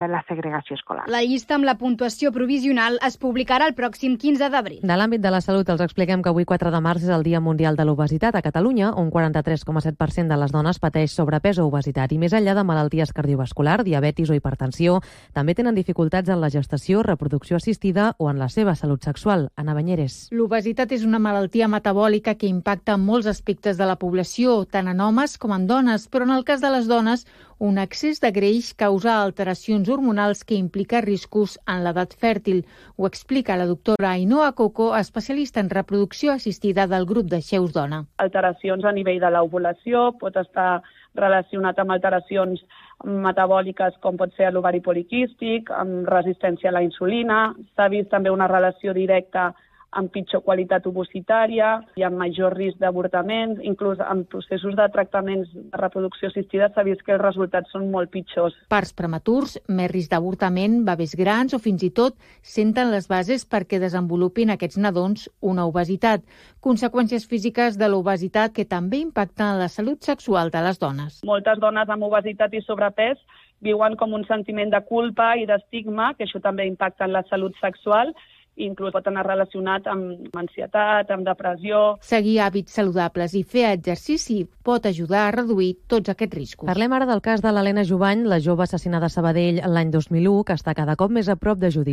la segregació escolar. La llista amb la puntuació provisional es publicarà el pròxim 15 d'abril. De l'àmbit de la salut els expliquem que avui 4 de març és el Dia Mundial de l'Obesitat a Catalunya, on 43,7% de les dones pateix sobrepès o obesitat i més enllà de malalties cardiovasculars, diabetis o hipertensió, també tenen dificultats en la gestació, reproducció assistida o en la seva salut sexual. Ana Banyeres. L'obesitat és una malaltia metabòlica que impacta en molts aspectes de la població, tant en homes com en dones, però en el cas de les dones, un excés de greix causa alteracions hormonals que implica riscos en l'edat fèrtil. Ho explica la doctora Ainhoa Coco, especialista en reproducció assistida del grup de Xeus Dona. Alteracions a nivell de l'ovulació, pot estar relacionat amb alteracions metabòliques com pot ser l'ovari poliquístic, amb resistència a la insulina. S'ha vist també una relació directa amb pitjor qualitat ovocitària i amb major risc d'avortament. Inclús en processos de tractaments de reproducció assistida s'ha vist que els resultats són molt pitjors. Parts prematurs, més risc d'avortament, bebès grans o fins i tot senten les bases perquè desenvolupin aquests nadons una obesitat. Conseqüències físiques de l'obesitat que també impacten la salut sexual de les dones. Moltes dones amb obesitat i sobrepès viuen com un sentiment de culpa i d'estigma, que això també impacta en la salut sexual, inclús pot anar relacionat amb ansietat, amb depressió. Seguir hàbits saludables i fer exercici pot ajudar a reduir tots aquests riscos. Parlem ara del cas de l'Helena Jubany, la jove assassinada a Sabadell l'any 2001, que està cada cop més a prop de judici.